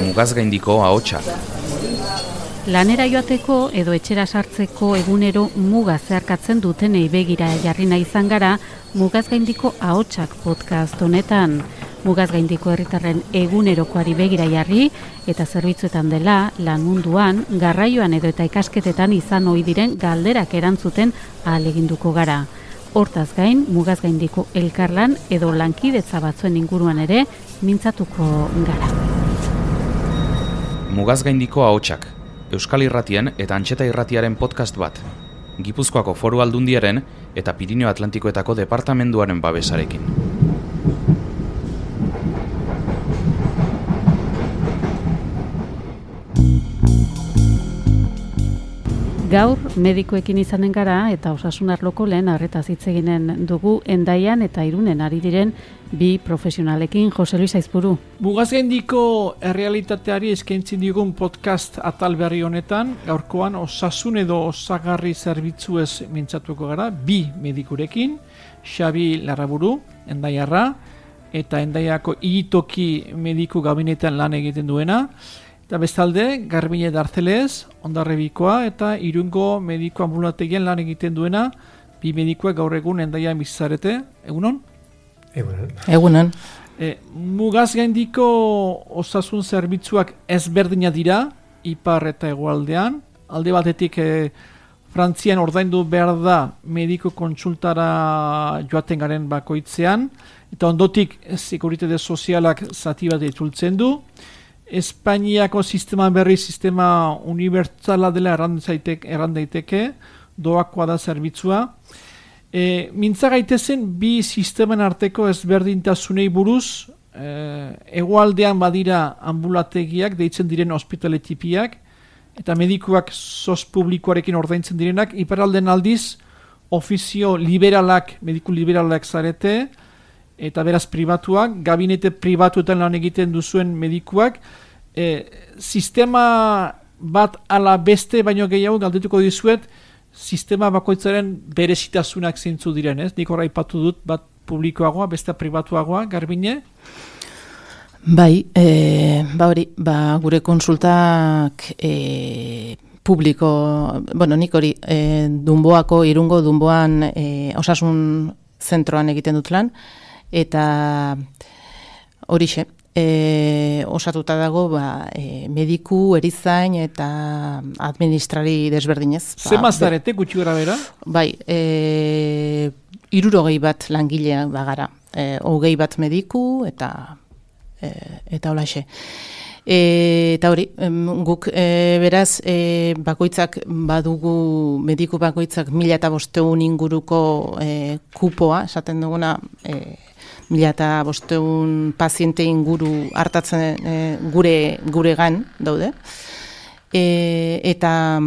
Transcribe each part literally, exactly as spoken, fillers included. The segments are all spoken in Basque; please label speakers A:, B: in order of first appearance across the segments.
A: Mugazgaindiko ahotsak.
B: Lanera joateko edo etxera sartzeko egunero muga zeharkatzen dutenei begira jarri nahi izan gara Mugazgaindiko ahotsak podcast honetan. Mugazgaindiko herritarren egunerokoari begira jarri eta zerbitzuetan dela lan munduan, garraioan edo eta ikasketetan izan ohi diren galderak erantzuten ahaleginduko gara. Hortaz gain, Mugazgaindiko elkarlan edo lankidetza batzuen inguruan ere mintzatuko gara.
A: Mugazgaindiko ahotsak. Euskal Irratien eta Antxeta Irratiaren podcast bat. Gipuzkoako Foru Aldundiaren eta Pirinio Atlantikoetako departamenduaren babesarekin.
B: Gaur medikoekin izanen gara eta osasun arloko lehen arretaz hitz eginen dugu Hendaian eta Irunen ari diren bi profesionalekin. Jose Luis Aizpuru.
C: Mugazgaindiko errealitateari eskaintzen digun podcast atal berri honetan, gaurkoan osasun edo osagarri zerbitzuez mintzatuko gara, bi medikurekin, Xabi Larraburu, Hendaiarra, eta Hendaiako Igitoki mediku gabinetan lan egiten duena, eta bestalde, Garbine Darzelez, Hondarribikoa eta Irungo mediku ambulategien lan egiten duena, bi medikuak gaur egun Hendaian bizarete. Egunon?
D: Egunon.
B: Egunon.
C: E, Mugazgaindiko osasun zerbitzuak ezberdina dira, ipar eta hegoaldean. Alde batetik e, Frantzian ordaindu behar da mediko kontsultara joaten garen bakoitzean, eta ondotik sekuritate sozialak zati bat itzultzen du. Espainiako sistema berri sistema unibertsala dela erran daiteke, doakoa da zerbitzua. E, mintza gaitezen bi sistemen arteko ezberdintasunei buruz, e, hegoaldean badira ambulategiak, deitzen diren ospitale tipiak, eta medikuak sos publikoarekin ordaintzen direnak, iparralden aldiz ofizio liberalak, mediku liberalak zarete, eta beraz pribatuak, gabinete pribatuetan lan egiten duzuen medikuak, e, sistema bat ala beste baino gehiago galdetuko dizuet, sistema bakoitzaren berezitasunak zeintzu diren, ez? Nik horra ipatu dut, bat publikoagoa, beste pribatuagoa, Garbine?
E: Bai, e, ba hori, ba gure konsultak e, publiko, bueno, nik hori, e, Dunboako, Irungo Dunboan e, osasun zentroan egiten dut lan, eta horixe, e, osatuta dago ba, e, mediku, erizain eta administrari desberdinez. Ba,
C: Ze mazarete gutxi gara bera?
E: Bai, e, hirurogei bat langilea bagara, e, hogei bat mediku eta e, eta holaxe. E, eta hori, em, guk e, beraz e, bakoitzak badugu, mediku bakoitzak mila eta bosteun inguruko e, kupoa, esaten duguna e, mila eta bosteun paziente inguru hartatzen e, gure guregan daude. E, eta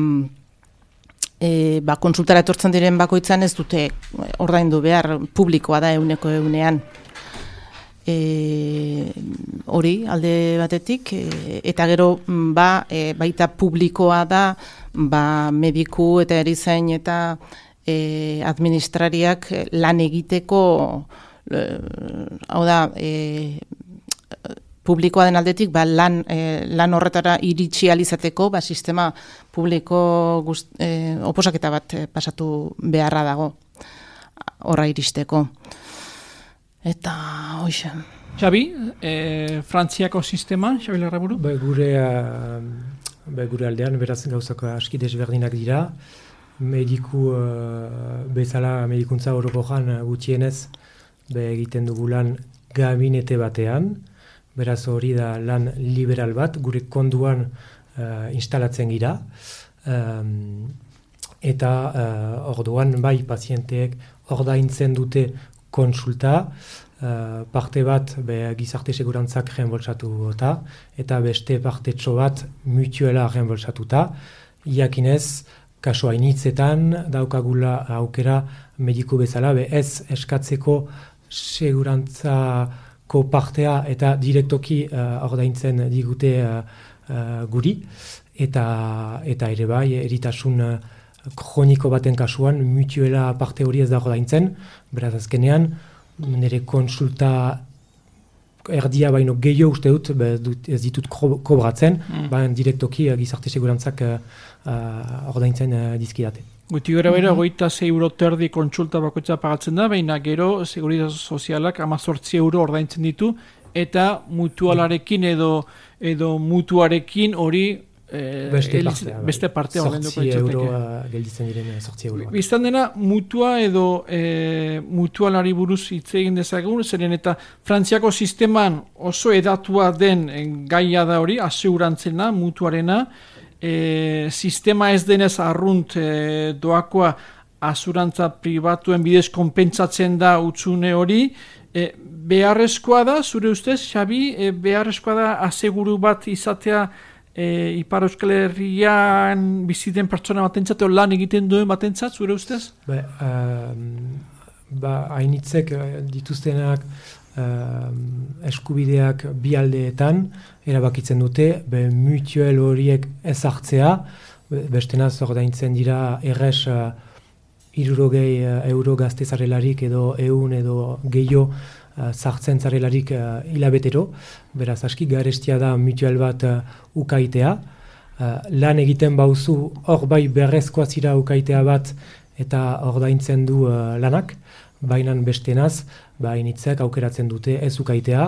E: e, ba, konsultara etortzen diren bakoitzan ez dute ordaindu behar, publikoa da euneko eunean. E, hori alde batetik e, eta gero ba, e, baita publikoa da ba, mediku eta erizain eta e, administrariak lan egiteko e, hau da e, publikoa den aldetik ba, lan, e, lan horretara iritsi alizateko ba, sistema publiko gust, e, oposaketa bat e, pasatu beharra dago horra iristeko. Eta, hoxe.
C: Xabi, e, Frantziako sistema, Xabi Larraburu?
D: Ba, gure, uh, ba, gure aldean, beraz gauzako aski desberdinak dira. Mediku, uh, bezala medikuntza orokojan uh, gutxienez, be egiten dugu lan gabinete batean. Beraz hori da lan liberal bat, gure konduan uh, instalatzen gira. Um, eta uh, orduan, bai, pazienteek ordaintzen dute konsulta, uh, parte bat be, gizarte segurantzak reembolsatu eta beste partetxo bat mutuela reembolsatuta. Iakinez, kaso hainitzetan daukagula aukera mediku bezala, be ez eskatzeko segurantzako partea eta direktoki uh, ordaintzen digute uh, uh, guri, eta, eta ere bai, eritasun uh, kroniko baten kasuan, mutuela parte hori ez da ordaintzen, beraz azkenean, nire konsulta erdia baino gehiago uste dut, be, dut ez ditut kobratzen, mm. baina direktoki uh, gizarte segurantzak uh, uh, ordaintzen uh, dizkidate.
C: Guti gara bera, goita zei euro terdi kontsulta bakoitza pagatzen da, baina gero seguridad sozialak amazortzi euro ordaintzen ditu, eta mutualarekin edo, edo mutuarekin hori Eh,
D: beste
C: eliz,
D: partea,
C: beste partea
D: sortzi euro uh, gelditzen diren sortzi euro.
C: Biztan dena, mutua edo e, mutualari buruz hitz egin dezagun, zeren eta Frantziako sisteman oso edatua den gaia da hori, aseurantzena, mutuarena, e, sistema ez denez arrunt e, doakoa asurantza pribatuen bidez konpentsatzen da utzune hori, e, beharrezkoa da, zure ustez, Xabi, e, beharrezkoa da aseguru bat izatea E, Ipar Euskal Herrian biziten pertsona batentzat, lan egiten duen batentzat, zure ustez?
D: Ba, um, ba hainitzek dituztenak um, eskubideak bi aldeetan erabakitzen dute, be mutuel horiek ez hartzea, bestenaz ordaintzen dira errez uh, hirurogei uh, euro gazte zarelarik edo ehun edo gehiago Uh, sartzen zarelarik uh, hilabetero, beraz aski garestia da mutual bat uh, ukaitea. Uh, lan egiten bauzu hor bai berrezkoa zira ukaitea bat eta ordaintzen du uh, lanak, bainan bestenaz, bainitzek aukeratzen dute ez ukaitea.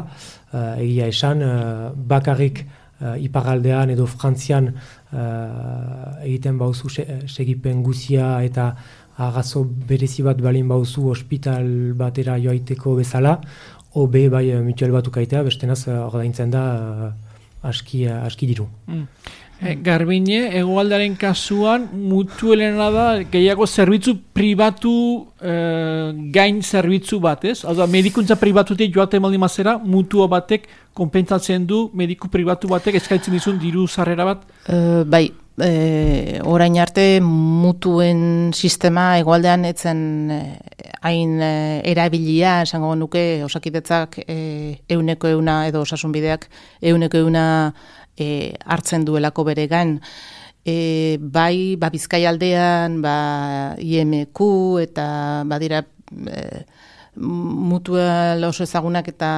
D: Uh, egia esan, uh, bakarrik uh, iparaldean edo Frantzian uh, egiten bauzu se, segipen guzia eta agazo berezi bat balin bauzu ospital batera joaiteko bezala, obe bai mutual bat ukaitea, bestenaz ordaintzen da uh, aski, uh, aski diru.
C: Mm. E, Garbine, hegoaldaren kasuan mutuelena da gehiago zerbitzu pribatu e, gain zerbitzu bat, ez? Hau da, medikuntza pribatutik joate maldi mazera, mutua batek konpentsatzen du, mediku pribatu batek eskaintzen dizun diru sarrera bat?
E: Uh, bai, E, orain arte mutuen sistema hegoaldean etzen hain e, erabilia, esango nuke Osakidetzak e, euneko euna edo osasunbideak euneko euna e, hartzen duelako bere gain. E, bai, ba, Bizkaialdean, ba, I M Q eta badira e, mutual oso ezagunak eta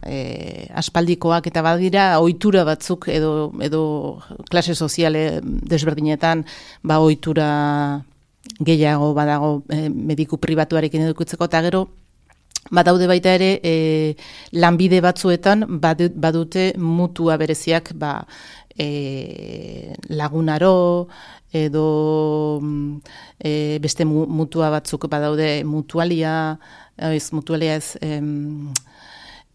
E: e, aspaldikoak eta badira ohitura batzuk edo edo klase soziale desberdinetan ba ohitura gehiago badago e, mediku pribatuarekin edukitzeko eta gero badaude baita ere e, lanbide batzuetan badute mutua bereziak ba e, lagunaro edo e, beste mutua batzuk badaude mutualia ez mutualia ez em,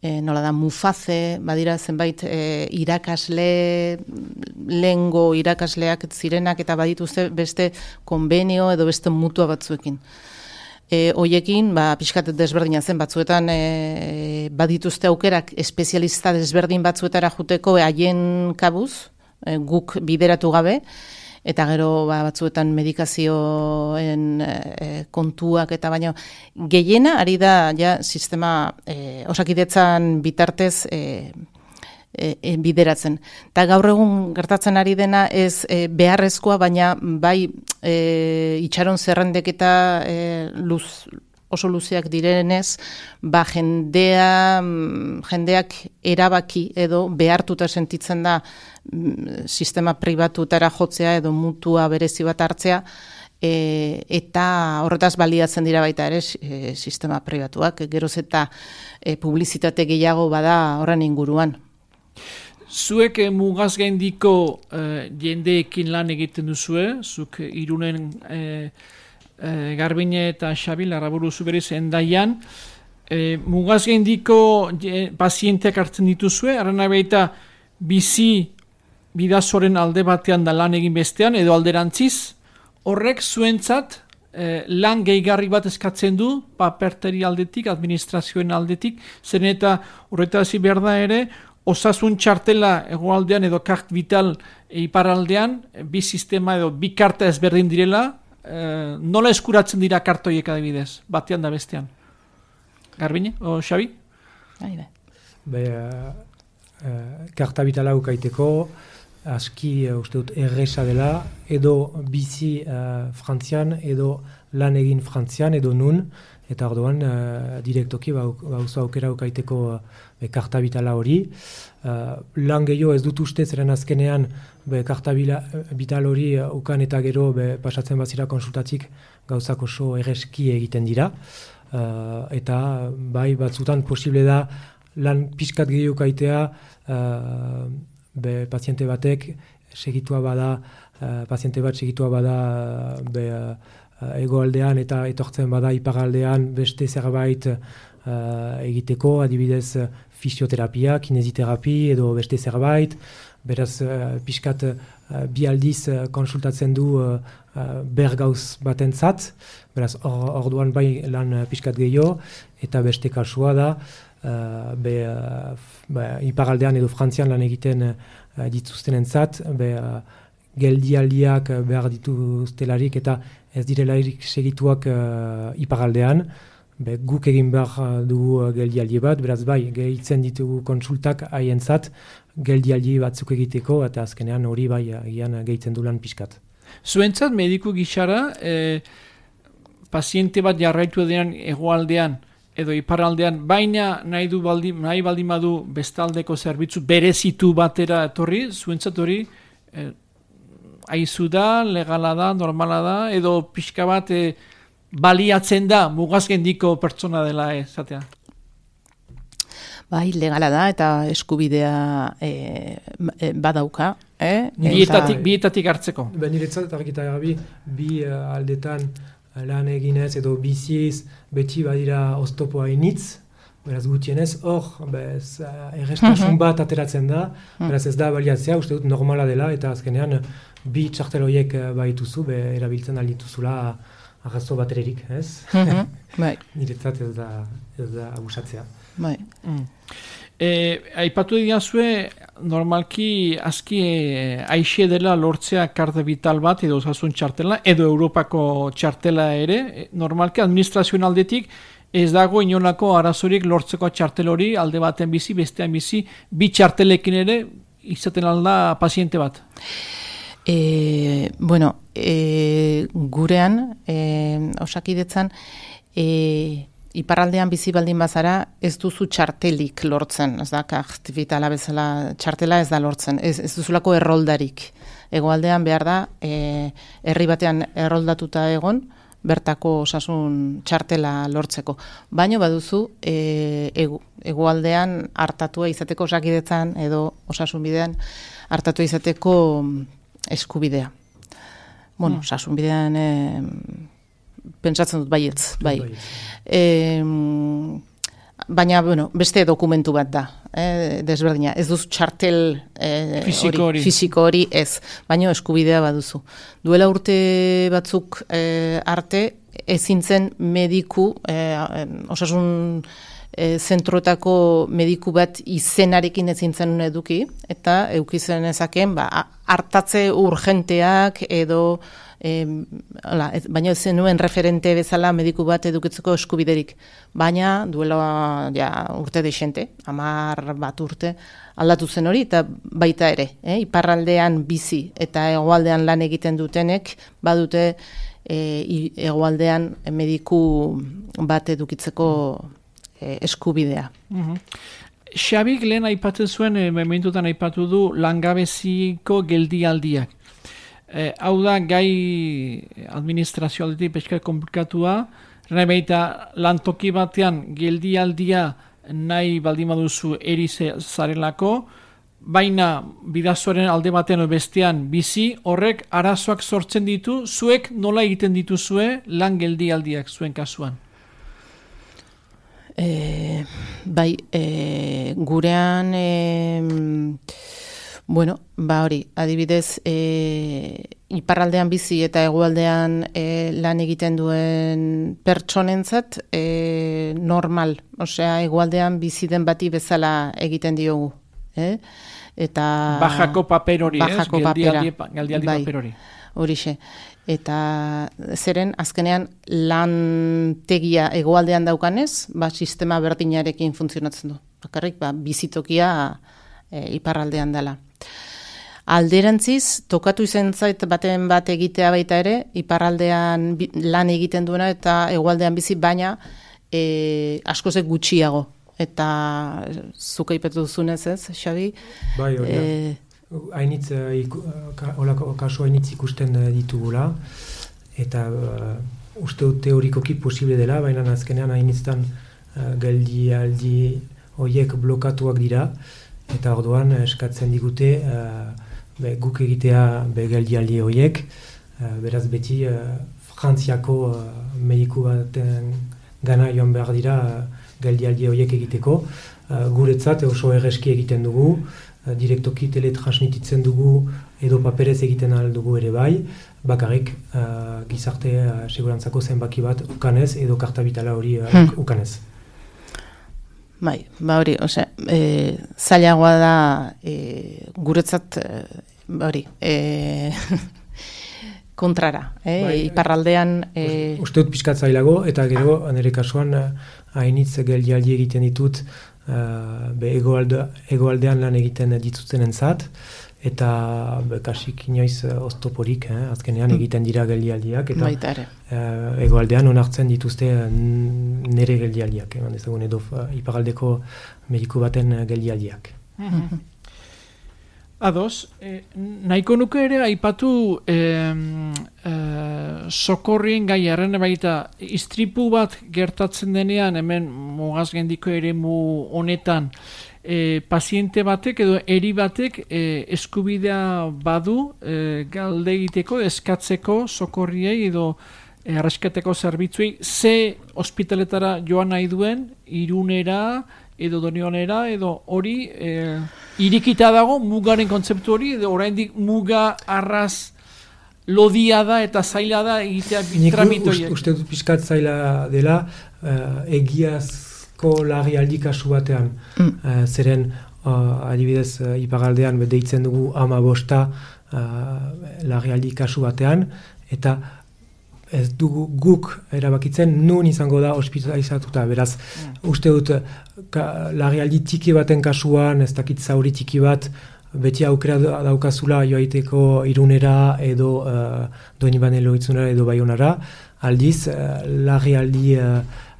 E: e, nola da mufaze, badira zenbait e, irakasle lengo irakasleak zirenak eta badituzte beste konbenio edo beste mutua batzuekin. E, hoiekin, ba, pixkat desberdina zen batzuetan e, badituzte aukerak espezialista desberdin batzuetara juteko haien kabuz, e, guk bideratu gabe, eta gero ba, batzuetan medikazioen e, kontuak eta baino gehiena ari da ja sistema e, Osakidetzan bitartez e, e, e, bideratzen. Eta gaur egun gertatzen ari dena ez e, beharrezkoa, baina bai e, itxaron zerrendeketa e, luz oso luzeak direnez, ba jendea, jendeak erabaki edo behartuta sentitzen da sistema pribatutara jotzea edo mutua berezi bat hartzea, e, eta horretaz baliatzen dira baita ere e, sistema pribatuak, geroz eta e, publizitate gehiago bada horren inguruan.
C: Zuek eh, mugaz gaindiko eh, jendeekin lan egiten duzue, zuk Irunen eh, eh, Garbine eta Xabi Larraburu zuberiz endaian, eh, mugaz gaindiko eh, pazienteak hartzen dituzue, arrena baita bizi bidazoren alde batean da lan egin bestean, edo alderantziz, horrek zuentzat eh, lan gehigarri bat eskatzen du, paperteri aldetik, administrazioen aldetik, zen eta horretazi behar da ere, osasun txartela hegoaldean edo kart vital iparaldean, bi sistema edo bi karta ezberdin direla, eh, nola eskuratzen dira kartoiek adibidez, batean da bestean? Garbine, o Xabi?
E: Aide.
D: Be, uh, uh, karta vitala ukaiteko, aski uh, uste dut erresa dela, edo bizi uh, Frantzian, edo lan egin Frantzian edo nun, eta orduan uh, direktoki bauzu aukera ukaiteko uh, karta bitala hori. Uh, lan gehiago ez dut uste, zeren azkenean be, karta bital hori uh, ukan eta gero be, pasatzen bazira konsultatik gauzak oso erreski egiten dira. Uh, eta bai batzutan posible da lan pixkat gehiago ukaitea uh, be, paziente batek segitua bada, uh, paziente bat segitua bada be, uh, egoaldean eta etortzen bada iparaldean beste zerbait uh, egiteko, adibidez fisioterapia, kinesiterapi edo beste zerbait, beraz uh, pixkat uh, bi aldiz uh, konsultatzen du uh, uh, bergauz batentzat, beraz or, orduan bai lan uh, pixkat gehiago, eta beste kasua da, uh, be, uh, be, iparaldean edo Frantzian lan egiten uh, dituztenentzat, be, uh, geldialdiak behar dituztelarik eta ez direlarik segituak uh, iparaldean, be, guk egin behar dugu geldialdi bat, beraz bai, gehitzen ditugu konsultak haientzat, geldialdi batzuk egiteko, eta azkenean hori bai agian gehitzen du lan pixkat.
C: Zuentzat mediku gixara, eh, paziente bat jarraitu denean hegoaldean edo iparraldean, baina nahi du baldi, nahi baldin badu bestaldeko zerbitzu berezitu batera etorri, zuentzat hori eh, aizu da, legala da, normala da, edo pixka bat eh, baliatzen da mugazgendiko pertsona dela esatea.
E: Bai, legala da eta eskubidea e, e, badauka. Eh?
C: Bietatik, eta, bietatik hartzeko.
D: Ben niretzat eta argita garbi, bi uh, aldetan uh, lan eginez edo biziz beti badira oztopoa initz, beraz gutienez, hor, bez, uh, errestasun bat ateratzen da, beraz ez da baliatzea, uste dut normala dela, eta azkenean bi txartel horiek uh, baituzu, be, erabiltzen aldituzula arrazo batererik, ez?
E: Bai.
D: Niretzat ez da, ez da abusatzea.
E: Bai.
C: Mm. E, aipatu diazue, normalki aski e, aixe dela lortzea karta vital bat edo osasun txartela, edo Europako txartela ere, e, normalki administrazioen aldetik ez dago inolako arazorik lortzeko txartel hori, alde baten bizi, bestean bizi, bi txartelekin ere izaten alda paziente bat.
E: E, bueno, e, gurean, e, osakidetzan, e, iparraldean bizi baldin bazara ez duzu txartelik lortzen, ez da, aktivitala bezala txartela ez da lortzen, ez, ez duzulako erroldarik. Hegoaldean behar da, e, herri batean erroldatuta egon, bertako osasun txartela lortzeko. Baino baduzu, e, hegoaldean hartatua izateko osakidetzan edo osasun bidean hartatua izateko eskubidea. Bueno, mm. osasun bidean e, pentsatzen dut baietz, bai. E, baina, bueno, beste dokumentu bat da, eh, desberdina. Ez duzu txartel eh,
C: fisiko hori.
E: Fisiko hori ez, baina eskubidea baduzu. Duela urte batzuk eh, arte, ezintzen mediku, eh, osasun eh, zentroetako mediku bat izenarekin ezintzen eduki, eta eukizen ezaken, ba, hartatze urgenteak edo E, ala, ez, baina ez zenuen referente bezala mediku bat edukitzeko eskubiderik. Baina duela ja, urte deixente, hamar bat urte aldatu zen hori, eta baita ere, eh? Iparraldean bizi eta hegoaldean lan egiten dutenek, badute e, hegoaldean mediku bat edukitzeko e, eskubidea.
C: Mm-hmm. Xabik lehen aipatzen zuen, e, momentutan aipatu du langabeziko geldialdiak. Eh, hau da, gai administrazio aldetik peskar komplikatua, nahi baita lantoki batean geldialdia nahi baldin baduzu erize zarelako, baina bidazoaren alde batean bestean bizi, horrek arazoak sortzen ditu, zuek nola egiten dituzue lan geldialdiak zuen kasuan?
E: E, bai, e, gurean... E, Bueno, ba hori, adibidez, e, iparraldean bizi eta hegoaldean e, lan egiten duen pertsonentzat e, normal, osea, hegoaldean bizi den bati bezala egiten diogu. Eh? Eta
C: bajako paper hori,
E: bajako
C: ez?
E: Geldialdi,
C: geldialdi
E: bai,
C: paper hori.
E: Horixe. Eta zeren, azkenean, lantegia hegoaldean daukanez, ba, sistema berdinarekin funtzionatzen du. Bakarrik, ba, bizitokia e, iparraldean dela. Alderantziz, tokatu izan zait baten bat egitea baita ere, iparraldean lan egiten duena eta hegoaldean bizi, baina e, askozek gutxiago. Eta zuka ipetu duzunez ez, Xabi?
D: Bai, hori da. E, hainitz, holako kasu hainitz ikusten ditugula, eta uh, uste dut teorikoki posible dela, baina azkenean hainitztan uh, geldi aldi horiek blokatuak dira, eta orduan eskatzen digute uh, be, guk egitea be geldi aldi horiek, uh, beraz beti uh, Frantziako uh, mediku baten gana joan behar dira uh, geldi aldi horiek egiteko. Uh, guretzat oso erreski egiten dugu, uh, direktoki teletransmititzen dugu edo paperez egiten ahal dugu ere bai, bakarrik uh, gizarte uh, segurantzako zenbaki bat ukanez edo kartabitala hori uh, hmm. ukanez.
E: Bai, ba hori, osea, e, zailagoa da e, guretzat e, hori, e, kontrara, eh? Bai, iparraldean... E...
D: Uste dut pixkat zailago, eta gero, nire kasuan, hainitz geldialdi egiten ditut, uh, be egoalde, egoaldean lan egiten dituzten entzat, eta be, kasik inoiz oztoporik, eh? Azkenean egiten dira geldialdiak, eta uh, egoaldean onartzen dituzte nire geldialdiak, eman eh? Dezagun edo uh, iparraldeko mediku baten geldialdiak.
C: Mm-hmm. Ados, eh, nahiko nuke ere aipatu eh, eh, sokorrien gai erren baita istripu bat gertatzen denean hemen mugazgendiko eremu honetan eh, paziente batek edo eri batek eh, eskubidea badu eh, galde egiteko, eskatzeko sokorriei edo erreskateko zerbitzuei ze ospitaletara joan nahi duen, Irunera edo Donionera, edo hori e, irikita dago mugaren kontzeptu hori, edo oraindik muga arraz lodia da eta zaila da egitea tramitoiek.
D: Nik uste dut pixkat zaila dela, uh, egiazko larrialdi kasu batean, mm. uh, zeren uh, adibidez uh, iparraldean deitzen dugu ama bosta uh, larrialdi kasu batean, eta ez dugu guk erabakitzen nun izango da ospitalizatuta, beraz, mm. uste dut ka, larrialdi tiki baten kasuan, ez dakit zauri tiki bat, beti aukera daukazula joaiteko Irunera edo uh, Doinibane Loitzunera edo Baionara, aldiz, uh, larrialdi uh,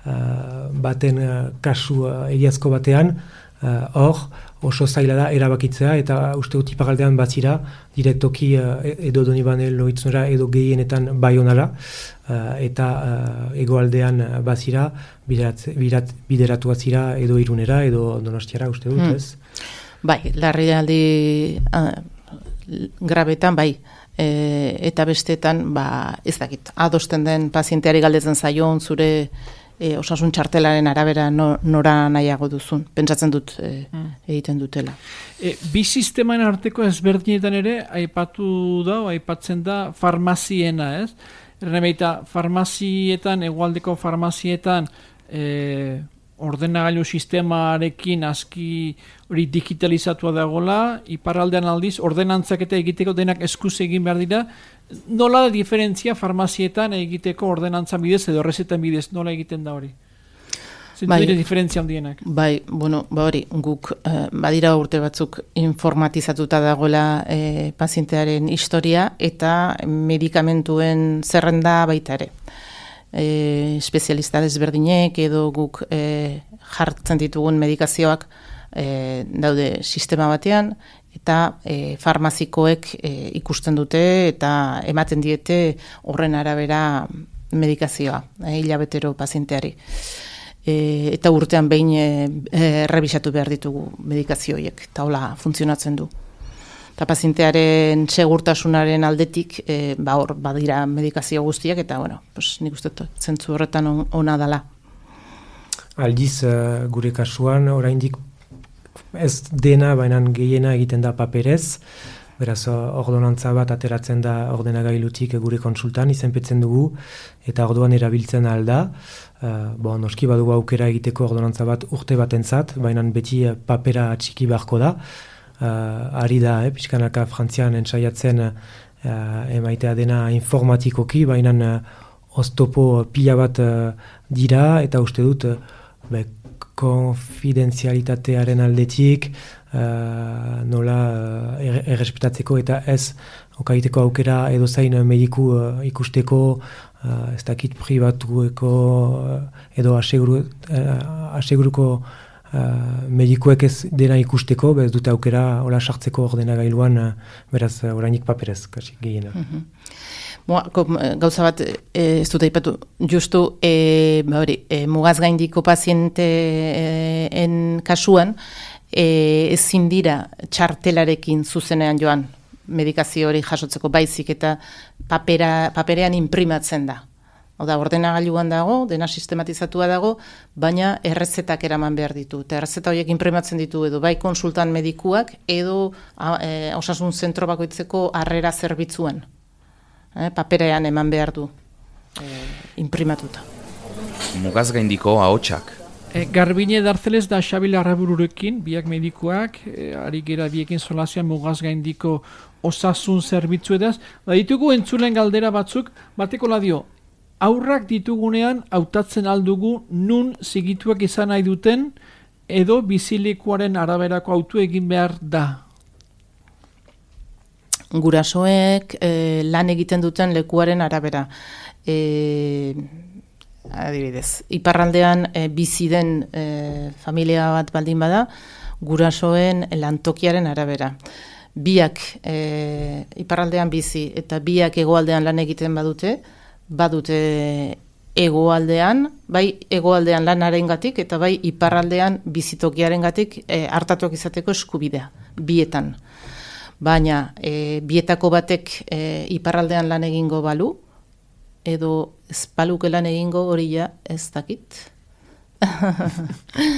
D: uh, baten uh, kasu uh, egiazko batean, hor, uh, oso zaila da erabakitzea, eta uste dut iparraldean bazira, direktoki uh, edo Donibane Loitzunera edo gehienetan Baionara, uh, eta uh, egoaldean bazira, biderat, biderat, bideratu bazira edo Irunera edo Donostiara, uste dut, hmm. ez?
E: Bai, larrialdi uh, grabetan, bai, e, eta bestetan, ba, ez dakit, adosten den pazienteari galdetzen zaion, zure e, osasun txartelaren arabera no, nora nahiago duzun, pentsatzen dut e, hmm. egiten dutela.
C: E, bi sisteman arteko ezberdinetan ere, aipatu da, aipatzen da, farmaziena, ez? Erremeita, farmazietan, egualdeko farmazietan, e, ordenagailu sistemarekin aski hori digitalizatua dagoela, iparraldean aldiz, ordenantzak eta egiteko denak eskuz egin behar dira, nola da diferentzia farmazietan egiteko ordenantzan bidez edo rezetan bidez, nola egiten da hori? Zentu bai, dire diferentzia handienak?
E: Bai, bueno, ba hori, guk eh, badira urte batzuk informatizatuta dagoela eh, pazientearen historia eta medikamentuen zerrenda baita ere. E, espezialista desberdinek edo guk e, jartzen ditugun medikazioak e, daude sistema batean eta e, farmazikoek e, ikusten dute eta ematen diete horren arabera medikazioa e, hilabetero pazienteari e, eta urtean behin e, e, revisatu behar ditugu medikazioiek eta hola funtzionatzen du. Eta pazientearen segurtasunaren aldetik, e, ba hor, badira medikazio guztiak, eta, bueno, pues, nik uste zentzu horretan on, ona dala.
D: Aldiz, uh, gure kasuan, oraindik ez dena, baina gehiena egiten da paperez, beraz, ordonantza bat ateratzen da ordenagailutik gure konsultan, izenpetzen dugu, eta orduan erabiltzen alda. Uh, bo, noski badugu aukera egiteko ordonantza bat urte batentzat, baina beti papera txiki beharko da. Uh, ari da, eh, pixkanaka Frantzian entsaiatzen uh, emaitea dena informatikoki, baina uh, oztopo pila bat uh, dira, eta uste dut uh, be, konfidenzialitatearen aldetik, uh, nola uh, er, errespetatzeko eta ez okaiteko aukera edo zain mediku uh, ikusteko, uh, ez dakit pribatueko uh, edo aseguru, uh, aseguruko Uh, medikuek ez dena ikusteko, bez dute aukera hola sartzeko ordenagailuan, uh, beraz uh, orainik paperez, kasi gehiena.
E: Mm-hmm. Boa, gauza bat e, ez dut aipatu, justu e, ba hori, e, mugaz gaindiko pazienteen kasuan e, ezin dira txartelarekin zuzenean joan medikazio hori jasotzeko baizik eta papera, paperean imprimatzen da. Oda, ordenagailuan dago, dena sistematizatua dago, baina errezetak eraman behar ditu. Eta errezeta horiek imprimatzen ditu edo bai konsultan medikuak edo e, osasun zentro bakoitzeko harrera zerbitzuan. E, paperean eman behar du e, imprimatuta.
A: Mugaz gaindiko ahotsak.
C: E, Garbine Dartzeles da Xabil Arrabururekin, biak medikuak, e, ari gera biekin solazian mugaz gaindiko osasun zerbitzu edaz. Da ditugu entzulen galdera batzuk, bateko ladio, aurrak ditugunean hautatzen aldugu nun zigituak izan nahi duten edo bizilekuaren araberako autu egin behar da.
E: Gurasoek e, lan egiten duten lekuaren arabera. E, adibidez, iparraldean e, bizi den e, familia bat baldin bada, gurasoen lantokiaren arabera. Biak e, iparraldean bizi eta biak hegoaldean lan egiten badute, badute hegoaldean, bai hegoaldean lanarengatik eta bai iparraldean bizitokiarengatik e, hartatuak izateko eskubidea, bietan. Baina e, bietako batek e, iparraldean lan egingo balu, edo ez baluke lan egingo hori ja ez dakit.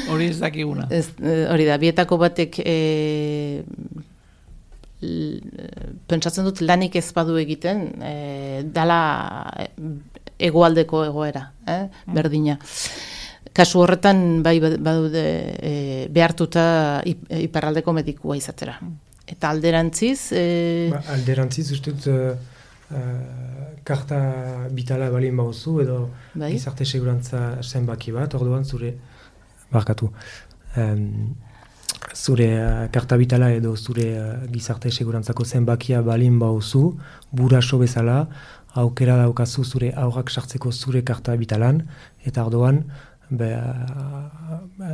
C: Hori ez dakiguna.
E: Ez, hori da, bietako batek e, pentsatzen dut lanik ez badu egiten, e, dala hegoaldeko egoera, eh? Berdina. Kasu horretan bai badude e, behartuta iparraldeko medikua izatera. Eta alderantziz... E...
D: Ba, alderantziz ustut uh, uh, karta bitala balin bauzu edo bai? Gizarte segurantza zenbaki bat, orduan zure barkatu. Um, zure uh, karta bitala edo zure uh, gizarte segurantzako zenbakia balin bauzu, buraso bezala, aukera daukazu zure aurrak sartzeko zure karta bitalan, eta orduan be,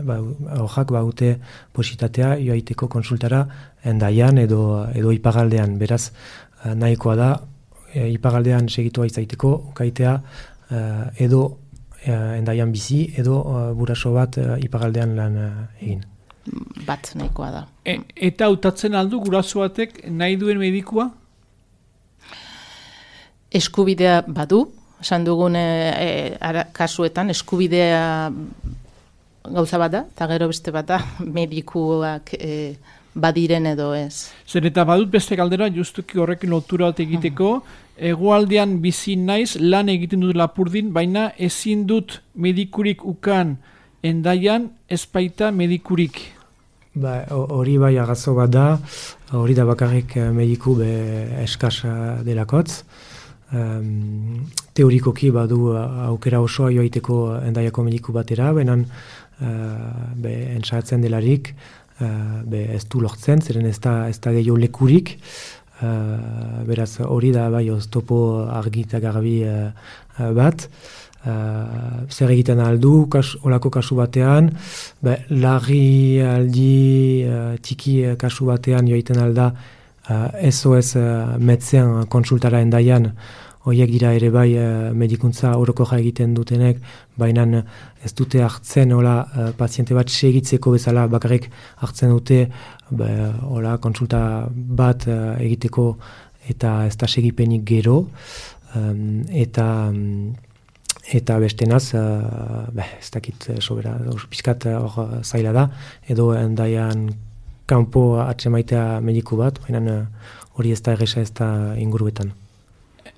D: ba, aurrak baute positatea joaiteko konsultara endaian edo, edo iparaldean. Beraz, uh, nahikoa da, e, iparaldean segitua izaiteko, ukaitea uh, edo uh, endaian bizi, edo uh, buraso bat uh, iparaldean lan uh, egin.
E: Bat nahikoa da.
C: E, eta hautatzen aldu guraso batek nahi duen medikua?
E: Eskubidea badu, esan dugun e, e, ara, kasuetan eskubidea gauza bat da, eta gero beste bat da medikuak e, badiren edo ez.
C: Zer eta badut beste galdera justuki horrekin lotura bat egiteko, hegoaldean bizi naiz lan egiten dut Lapurdin, baina ezin dut medikurik ukan endaian, ez baita medikurik.
D: Ba, hori bai agazo bat da, hori da bakarrik mediku be eskasa delakotz. Um, teorikoki badu aukera osoa joaiteko endaiako mediku batera, benan uh, be entzatzen delarik, uh, be ez du lortzen, zeren ez da, ez da gehiago lekurik, uh, beraz hori da bai oztopo argi eta garbi uh, bat. Uh, zer egiten aldu, kas, olako kasu batean, be, larri aldi uh, tiki uh, kasu batean joaiten alda uh, ez oez uh, metzean konsultara endaian, horiek dira ere bai uh, medikuntza orokorra egiten dutenek, baina ez dute hartzen hola uh, paziente bat segitzeko bezala bakarrik hartzen dute be, hola konsulta bat uh, egiteko eta ez da segipenik gero, um, eta um, eta bestenaz, uh, beh, ez dakit sobera, pizkat hor uh, zaila da, edo endaian kanpo atzemaitea mediku bat, baina hori uh, ez da erresa ez da inguruetan.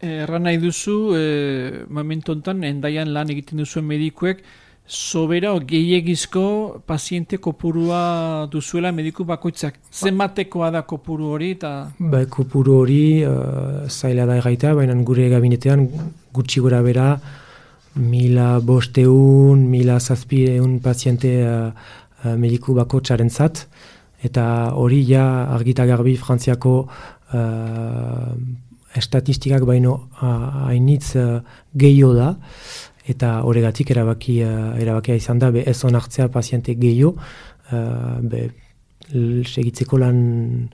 C: Erran nahi duzu, e, momentu honetan, endaian lan egiten duzuen medikuek, sobera o gehiegizko paziente kopurua duzuela mediku bakoitzak. Zenbatekoa da kopuru hori? Ta...
D: Ba, kopuru hori uh, zaila da erraita, baina gure gabinetean gutxi gora bera, mila bosteun, mila zazpireun paziente uh, uh, mediku bako txarentzat, eta hori ja argita garbi Frantziako uh, estatistikak baino hainitz uh, gehiago da, eta horregatik erabaki, uh, erabakia izan da, be ez onartzea paziente gehiago, uh, be segitzeko lan,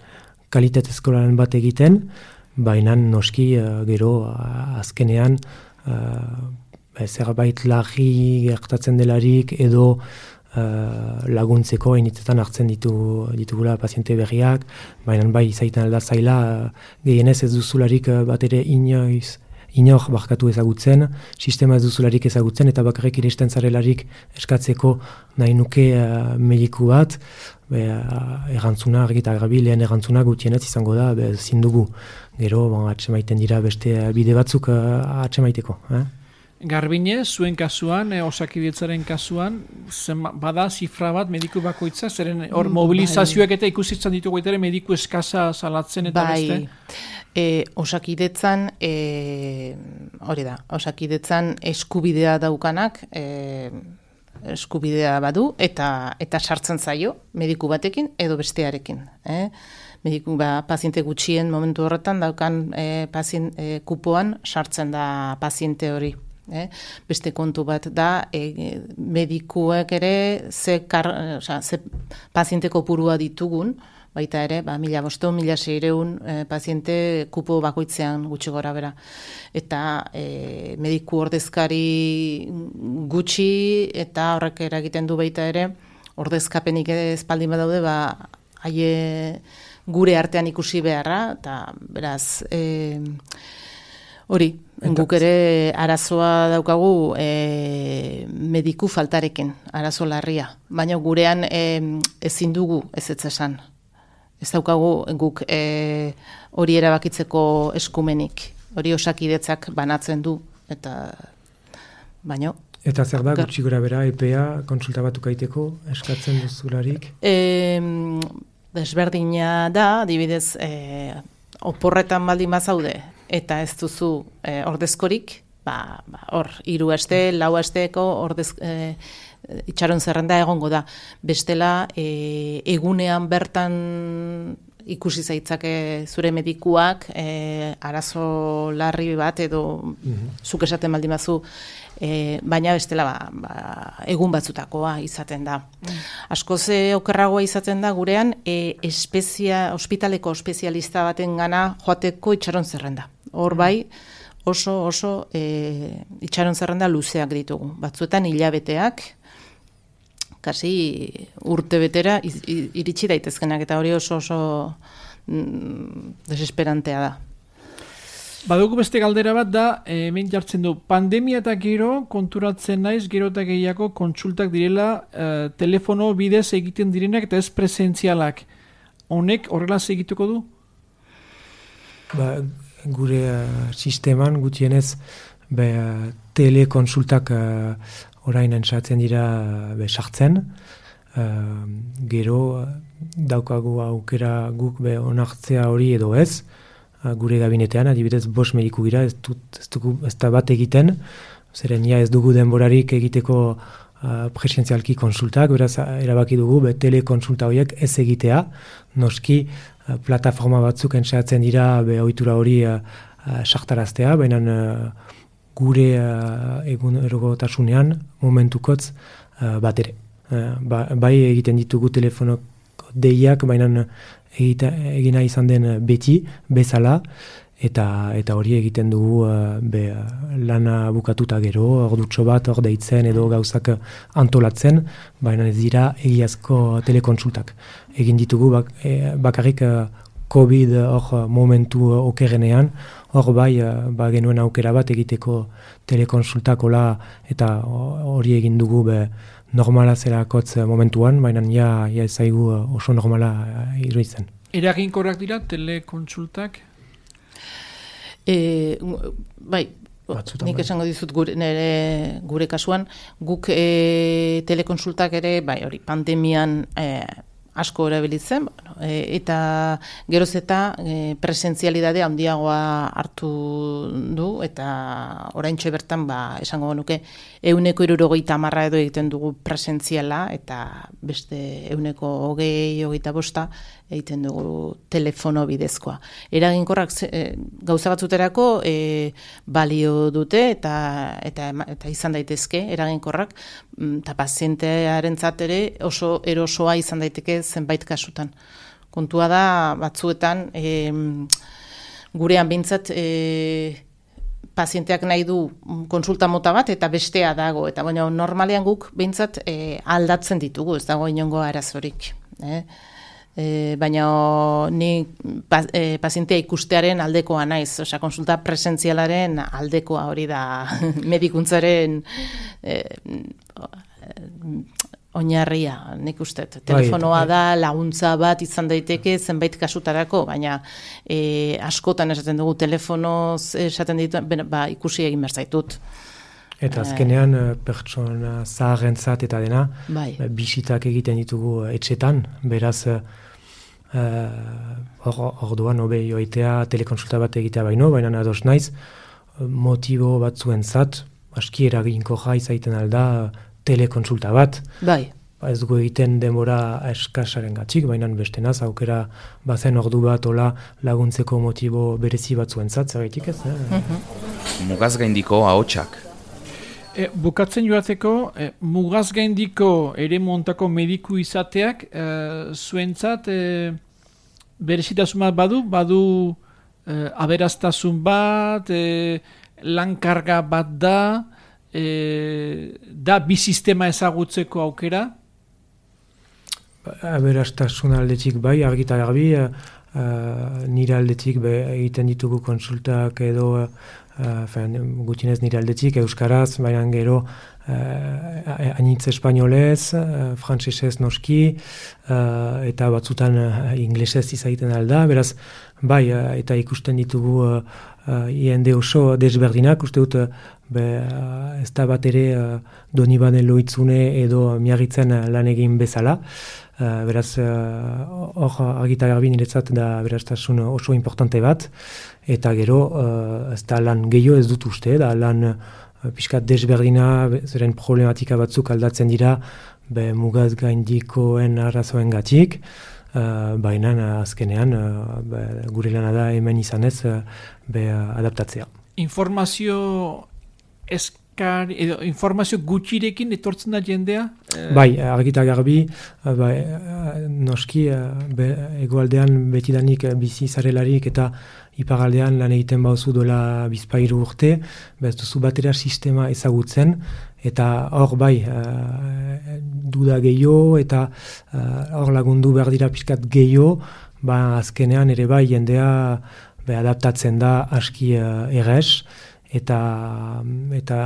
D: kalitatezko lan bat egiten, baina noski uh, gero uh, azkenean uh, zerbait larri gertatzen delarik edo uh, laguntzeko hainitzetan hartzen ditu, ditugula paziente berriak, baina bai izaiten alda zaila, uh, gehienez ez duzularik uh, bat ere inoiz inor barkatu ezagutzen, sistema ez duzularik ezagutzen, eta bakarrik iristen zarelarik eskatzeko nahi nuke uh, mediku bat, be, uh, errantzuna, argita garbi, lehen errantzuna gutienez izango da, be, zindugu. Gero, bon, atsemaiten dira beste bide batzuk uh, atsemaiteko. Eh?
C: Garbine, zuen kasuan, eh, Osakidetzaren kasuan, zen, bada zifra bat mediku bakoitza, zeren hor mobilizazioak eta ikusitzen ditugu ere mediku eskasa salatzen eta
E: bai.
C: beste?
E: E, Osakidetzan, e, hori da, Osakidetzan eskubidea daukanak, e, eskubidea badu, eta eta sartzen zaio, mediku batekin edo bestearekin. Eh? Mediku, ba, paziente gutxien momentu horretan daukan e, pazien, e, kupoan sartzen da paziente hori. Eh? Beste kontu bat da, e, medikuek ere ze, kar, oza, ze paziente kopurua ditugun, baita ere, ba, mila bosteun, mila seireun e, paziente kupo bakoitzean gutxi gora bera. Eta e, mediku ordezkari gutxi eta horrek eragiten du baita ere, ordezkapenik espaldin badaude, ba, haie gure artean ikusi beharra, eta beraz, e, hori, guk ere arazoa daukagu e, mediku faltarekin, arazo larria. Baina gurean e, ezin dugu ez ez esan. Ez daukagu guk e, hori erabakitzeko eskumenik. Hori Osakidetzak banatzen du. Eta baina...
D: Eta zer da, gutxi gora bera, epea, konsulta batuk aiteko, eskatzen duzularik?
E: E, desberdina da, adibidez, e, oporretan baldin bazaude, eta ez duzu e, ordezkorik, ba, ba, hor, hiru aste, lau asteko ordez, e, itxaron zerrenda egongo da. Bestela, e, egunean bertan ikusi zaitzake zure medikuak, e, arazo larri bat edo mm-hmm. zuk esaten baldin bazu, e, baina bestela ba, ba, egun batzutakoa izaten da. Mm. Askoz okerragoa izaten da gurean, e, espezia, ospitaleko espezialista baten gana joateko itxaron zerrenda. Hor bai, oso oso e, itxaron zerrenda luzeak ditugu. Batzuetan hilabeteak, kasi urte betera iritsi daitezkenak, eta hori oso oso mm, desesperantea da.
C: Badugu beste galdera bat da, hemen jartzen du, pandemia eta gero konturatzen naiz, gero eta gehiago kontsultak direla eh, telefono bidez egiten direnak eta ez presentzialak. Honek horrela segituko du?
D: Ba, gure uh, sisteman gutienez be, uh, telekonsultak uh, orain entzatzen dira be, sartzen. Uh, gero uh, daukagu aukera guk be, onartzea hori edo ez. Uh, gure gabinetean, adibidez bost mediku gira, ez, dut, ez, dugu, ez da bat egiten. Zeren ja ez dugu denborarik egiteko uh, presentzialki konsultak, beraz erabaki dugu be, telekonsulta horiek ez egitea. Noski uh, plataforma batzuk entzatzen dira be, ohitura hori uh, uh, sartaraztea, baina uh, gure uh, egun erogotasunean momentukotz uh, bat ere. Uh, ba, bai egiten ditugu telefono deiak, baina egita, egina izan den beti, bezala, eta eta hori egiten dugu uh, be, lana bukatuta gero, ordutxo bat, hor deitzen edo gauzak antolatzen, baina ez dira egiazko telekonsultak. Egin ditugu bak, e, bakarrik uh, COVID hor momentu okerrenean, hor bai, ba, genuen aukera bat egiteko telekonsultakola eta hori egin dugu be, normala zerakotz momentuan, baina ja, ja ezaigu oso normala iruditzen.
C: Eraginkorrak dira telekonsultak?
E: E, bai, Batzutan nik esango dizut gure, nere, gure kasuan, guk e, telekonsultak ere, bai, hori, pandemian e, asko erabilitzen, bueno, e, eta geroz eta e, presentzialidade handiagoa hartu du, eta oraintxe bertan, ba, esango nuke, euneko hirurogeita hamarra edo egiten dugu presentziala, eta beste euneko hogei, hogeita bosta egiten dugu telefono bidezkoa. Eraginkorrak e, gauza batzuterako e, balio dute, eta, eta, eta izan daitezke, eraginkorrak, eta pazientearentzat ere oso erosoa izan daiteke zenbait kasutan. Kontua da, batzuetan, e, gurean bintzat, e, pazienteak nahi du konsulta mota bat eta bestea dago, eta baina normalean guk bintzat e, aldatzen ditugu, ez dago inongo arazorik. Eh? E, baina ni pa, e, pazientea ikustearen aldekoa naiz, osea, konsulta presentzialaren aldekoa hori da medikuntzaren e, oinarria, nik uste. Telefonoa da, laguntza bat izan daiteke zenbait kasutarako, baina e, askotan esaten dugu telefonoz esaten ditu, ba, ikusi egin behar zaitut.
D: Eta azkenean pertsona zaharrentzat eta dena,
E: bai.
D: Bisitak egiten ditugu etxetan, beraz orduan uh, hobe joitea telekonsulta bat egitea baino, baina ados naiz, motibo batzuentzat, aski eraginkorra izaiten alda telekonsulta bat.
E: Bai.
D: Ez dugu egiten denbora eskasaren gatzik, baina beste naz, aukera bazen ordu bat ola laguntzeko motibo berezi batzuentzat, zergaitik ez? Eh?
A: Mm-hmm. Mugaz gaindiko ahotsak.
C: E, bukatzen joateko, e, mugaz gaindiko ere montako mediku izateak, e, zuentzat, e, berezitasun bat badu, badu e, aberaztasun bat, e, lankarga bat da, e, da bi sistema ezagutzeko aukera?
D: Aberastasun aldetik bai, argita garbi, uh, nire aldetik be, egiten ditugu konsultak edo Uh, gutxinez nire aldetik, euskaraz, baina gero uh, anitz espainolez, uh, frantsesez noski, uh, eta batzutan uh, inglesez izaiten alda, beraz, bai, uh, eta ikusten ditugu uh, uh, iende oso desberdinak, uste dut, uh, be, uh, ez da bat ere uh, Donibane Loitzune edo Miarritzen uh, lan egin bezala, uh, beraz, hor uh, argita garbi niretzat da beraztasun oso importante bat, eta gero, uh, ez da lan gehiago ez dut uste, da lan uh, pixkat desberdina, zeren problematika batzuk aldatzen dira, be mugaz gaindikoen arrazoen gatik, uh, baina azkenean uh, be, gure lana da hemen izanez uh, be uh, adaptatzea.
C: Informazio eskar, edo informazio gutxirekin etortzen da jendea?
D: Bai, argita garbi, bai, noski, be, egoaldean betidanik bizi zarelarik eta iparaldean lan egiten bauzu dola bizpairu urte, bez duzu batera sistema ezagutzen, eta hor bai, uh, duda gehiago, eta hor uh, lagundu behar dira pixkat gehiago, ba azkenean ere bai jendea be, adaptatzen da aski uh, errez, eta, eta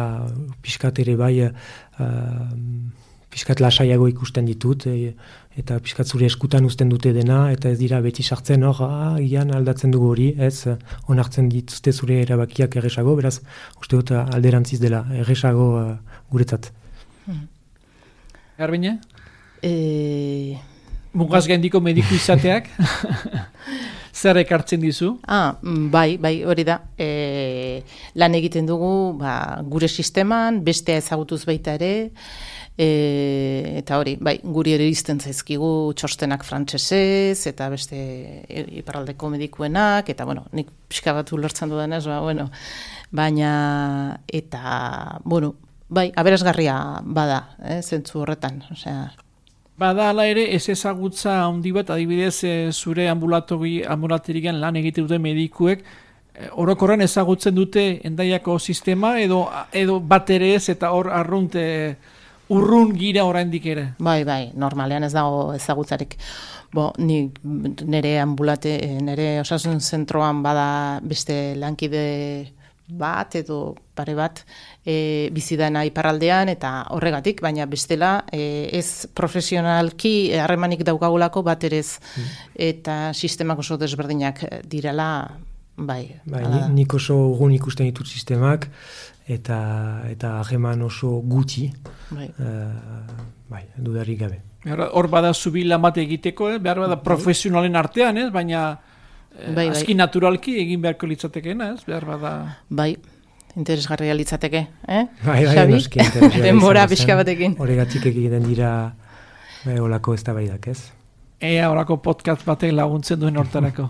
D: pixkat ere bai uh, pixkat lasaiago ikusten ditut, e, eta pixkat zure eskutan uzten dute dena, eta ez dira beti sartzen hor, ah, gian aldatzen dugu hori, ez, onartzen dituzte zure erabakiak erresago, beraz, uste dut alderantziz dela, erresago uh, guretzat.
C: Hmm. Garbine?
E: E...
C: Mugaz gaindiko mediku izateak? Zer ekartzen dizu?
E: Ah, bai, bai, hori da. E, lan egiten dugu ba, gure sisteman, bestea ezagutuz baita ere, e, eta hori, bai, guri ere izten zaizkigu txostenak frantsesez, eta beste iparraldeko medikuenak, eta, bueno, nik pixka bat ulertzen dudanez, ba, bueno, baina, eta, bueno, bai, aberasgarria bada, eh, zentzu horretan, osea...
C: Bada ala ere ez ezagutza handi bat, adibidez e, zure ambulatori, ambulaterigan lan egite dute medikuek, e, orokorren ezagutzen dute Hendaiako sistema edo edo bat ere ez eta hor arrunte urrun gira oraindik ere.
E: Bai, bai, normalean ez dago ezagutzarik. Bo, ni nire ambulate, nire osasun zentroan bada beste lankide bat edo pare bat e, bizidana iparraldean eta horregatik, baina bestela e, ez profesionalki harremanik daukagulako bat ere ez mm. eta sistemak oso desberdinak direla, bai.
D: Bai, nik oso urgun ikusten ditut sistemak eta eta harreman oso gutxi,
E: bai,
D: uh, bai, dudarik gabe.
C: Hor bada zubila mate egiteko, eh? Behar bada profesionalen artean, ez? Baina eh,
E: Bai, bai.
C: aski naturalki egin beharko litzatekeena, ez? Behar bada...
E: Bai, interesgarria litzateke, eh?
D: Bai, bai,
E: Xabi?
D: noski interesgarria
E: Denbora
D: izango zen.
E: pixka batekin.
D: Horregatik egiten dira bai, olako eztabaidak, ez?
C: Ea horako podcast batek laguntzen duen hortarako.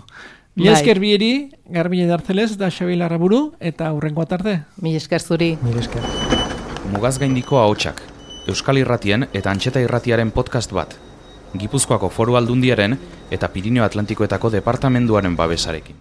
C: Mila
E: Bai.
C: esker bieri, Garbine Dartzelez da Xabi Larraburu, eta hurrengo arte.
E: Mil esker zuri.
D: Mil esker.
A: Mugaz gaindiko ahotsak, Euskal Irratien eta Antxeta Irratiaren podcast bat, Gipuzkoako Foru Aldundiaren eta Pirinio Atlantikoetako departamenduaren babesarekin.